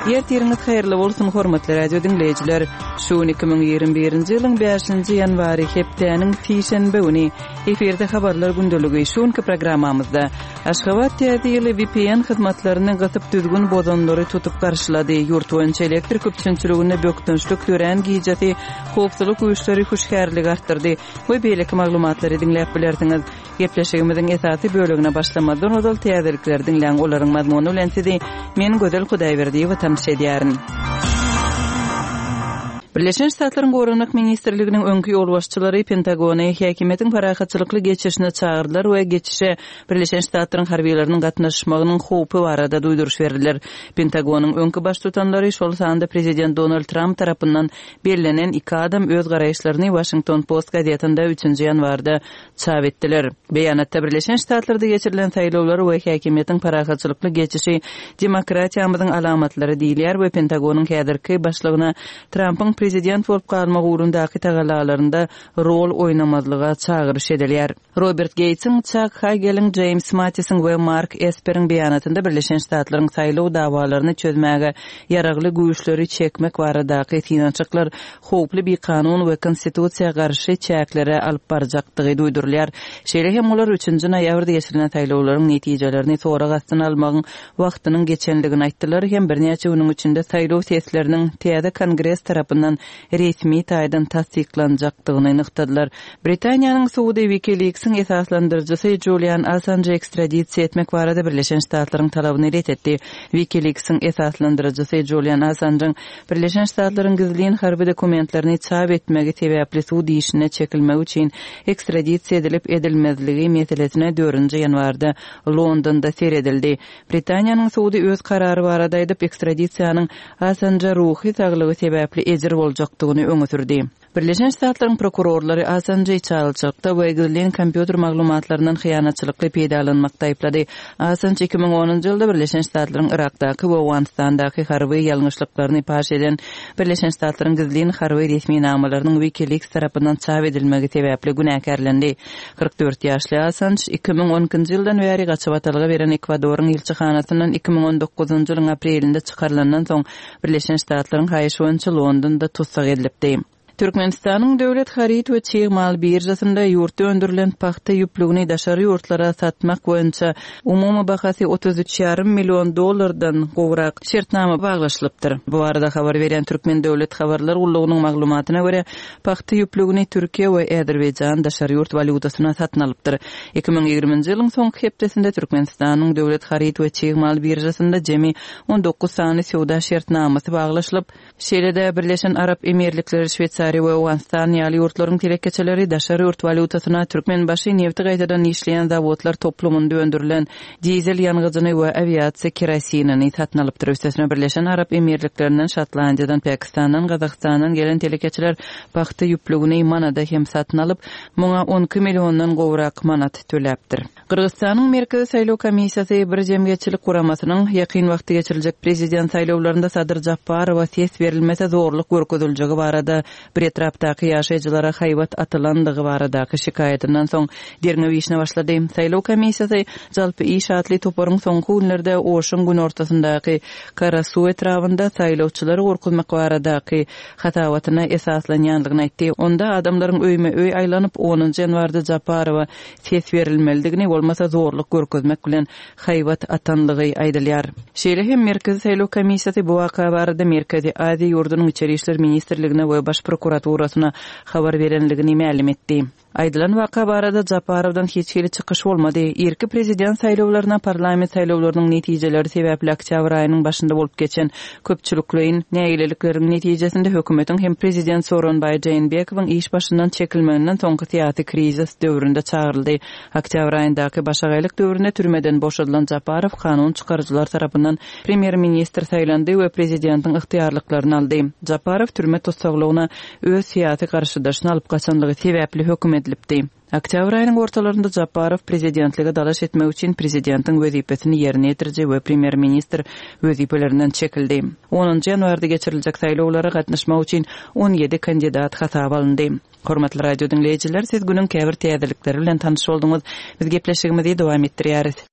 Ertiriňiz haýyrly bolsun, hormatly radio diňleýjiler! Şu gün 2021-nji ýylyň bäşinji ýanwary, hepdäniň sişenbe güni. Efirde Habarlar gündeligi. Şu günki programmamyzda, Aşgabat Täze ýyly vpn hyzmatlaryny gysyp düzgün bozanlary tutup garşylady, ýurt boýunça elektrik üpjünçiliginde bökdençlik dörän gijesi howpsuzlyk güýçleri hüşgärligi artdyrdy we beýleki maglumatlary diňläp bilersiňiz. Gepleşigimiziň esasy bölegine başlamazdan ozal täzelikleri diňläň, olaryň mazmuny bilen sizi men Gözel Hudaýberdiýewa tanyş edýärin. Birleşen Ştatlaryň Goranmak ministrliginiň öňki ýolbaşçylary Pentagony häkimiýetiň parahatçylykly geçişine çagyrdylar we geçişe Birleşen Ştatlaryň harbylarynyň gatnaşmagynyň howpy barada duýduryş berdiler. Pentagonyň öňki baştutanlary, şol sanda prezident Donald Tramp tarapyndan bellenen iki adam öz garaýyşlaryny Washington Post gazetinde üçünji ýanwarda çap etdiler. Beýanatda Birleşen Ştatlarda geçirilen saýlawlar we häkimiýetiň parahatçylykly geçişi demokratiýamyzyň alamatlary diýilýär we Pentagonyň häzirki başlygyna Trampyň prezident bolup galmak ugrundaky tagallalarynda rol oýnamazlyga çagyryş edilýär. Robert Geýtsiň, Çak Hageliň, Jeýms Mattisiň we Mark Esperiň beýanatynda Birleşen Ştatlaryň saýlaw dawalaryny çözmäge ýaragly güýçleri çekmek baradaky synanyşyklar howply bikanun we konstitusiýa garşy çäklere alyp barjakdygy duýdurylýar. Şeýle hem olar üçünji noýabrda geçirilen saýlawlaryň netijelerini sorag astyna almagyň wagtynyň geçendigini aýtdylar hem birnäçe günüň içinde saýlaw sesleriniň täze Kongres tarapyndan resmi taýdan tassyklanjakdygyny nygtadylar. Britaniýanyň sudy WikiLeaks-iň esaslandyryjysy Julian Assanjy ekstradisiýa etmek barada Birleşen Ştatlaryň talabyny ret etdi. WikiLeaks-iň esaslandyryjysy Julian Assanjyň Birleşen Ştatlaryň gizlin harby dokumentlerini çap etmegi sebäpli sud işine çekilmegi üçin ekstradisiýa edilip edilmezligi meselesine dördünji ýanwarda Londonda seredildi. Britaniýanyň sudy öz karary barada aýdyp, ekstradisiýanyň Assanja ruhy saglygy sebäpli ejir boljakdygyny öňe sürdi. Birleşen Ştatlaryň prokurorlary Assanjy içalyçylykda we gizlin kompýuter maglumatlaryndan hyýanatçylykly peýdalanmakda aýyplady. Assanj 2010-njy ýylda Birleşen Ştatlaryň Yrakdaky we Owganystandaky harby ýalňyşlyklaryny paş eden Birleşen Ştatlaryň gizlin harby resminamalarynyň WikiLeaks tarapyndan çap edilmegi sebäpli günäkärlendi. 44 ýaşly Assanj 2012-nji ýyldan bäri gaçybatalga beren Ekwadoryň ilçihanasyndan 2019-njy ýylyň aprelinde çykarylandan soň Birleşen Ştatlaryň haýyşy boýunça Londonda tussag edilipdi. Türkmenistanyň Döwlet haryt we çig mal biržasynda ýurtda öndürilen pagta ýüplügini daşary ýurtlara satmak boýunça umumy bahasy 33 ýarym million dollardan gowrak şertnama baglaşylypdyr. Bu barada habar berýän Türkmen döwlet habarlar gullugynyň maglumatyna görä, pagta ýüplügini Türkiýe we Azerbaýjan daşary ýurt walýutasyna satyn alypdyr. 2020-nji ýylyň soňky hepdesinde Türkmenistanyň Döwlet haryt we çig mal biržasynda jemi 19 sany söwda şertnamasy baglaşylyp, Şeýle-de, Birleşen Arap Emirlikleri, Şweýsariýa we Owganystan ýaly ýurtlaryň telekeçileri daşary ýurt walýutasyna Türkmenbaşy nebti gaýtadan işleýän zawodlar toplumynda öndürilen dizel ýangyjyny we awiasiýa kerosinini satyn alypdyr. Üstesine, Birleşen Arap Emirliklerinden, Şotlandiýadan, Pakistandan, Gazagystandan gelen telekeçiler pagta ýüplügini manada hem satyn alyp, muňa 12 milliondan gowrak manat töläpdir. Gyrgyzystanyň Merkezi saýlaw komissiýasy bir jemgyýetçilik guramasynyň ýakyn wagtda geçiriljek prezident saýlawlarynda Sadyr Japarowa ses berilmese zorluk görkeziljegi barada bir etrapdaky ýaşaýjylara haýbat atylandygy baradaky şikaýatyndan soň derňew işine başlady. Saýlaw komissiýasy Jalpy iş atly toparyň soňky günlerde Oşuň günortasyndaky Karasuw etrabynda saýlawçylary gorkuzmak baradaky hasabatyna esaslanýandygyny aýtdy. Onda adamlaryň öýme-öý aýlanyp, onunjy ýanwarda Japarowa ses berilmelidigini, bolmasa zorluk görkezmek bilen haýbat atanlygy aýdylýar. Şeýle hem Merkezi saýlaw komissiýasy bu waka barada Merkezi Aziýa ýurdunyň Içeri işler ministrligine we Baş prokuraturasyna habar berenligini mälim etdi. Aýdylan waka barada Japarowdan hiç hili çykyş bolmady. Irki prezident saýlawlaryna parlament saýlawlarynyň netijeleri sebäpli oktýabr aýynyň başynda bolup geçen köpçülikleýin nägilelikleriň netijesinde hökümetiň hem prezident Sooronbaý Jeenbekowyň iş başyndan çekilmeginden soňky syýasy krizis döwründe çagyryldy. Oktýabr aýyndaky başagaýlyk döwründe türmeden boşadylan Japarow kanun çykaryjylar tarapyndan premýer-ministr saýlandy we prezidentiň ygtyýarlyklaryny aldy. Japarow türme tussaglygyna öz syýasy garşydaşyny alyp gaçanlygy sebäpli höküm edilipdi. Oktýabr aýynyň ortalarynda Japarow prezidentlige dalaş etmek üçin prezidentiň wezipesini ýerine ýetiriji we premýer-ministr wezipelerinden çekildi. Onunjy ýanwarda geçiriljek saýlawlara gatnaşmak üçin 17 kandidat hasaba alyndy. Hormatly radio diňleýjiler, siz günüň käbir täzelikleri bilen tanyş bolduňyz. Biz gepleşigimizi dowam etdirýäris.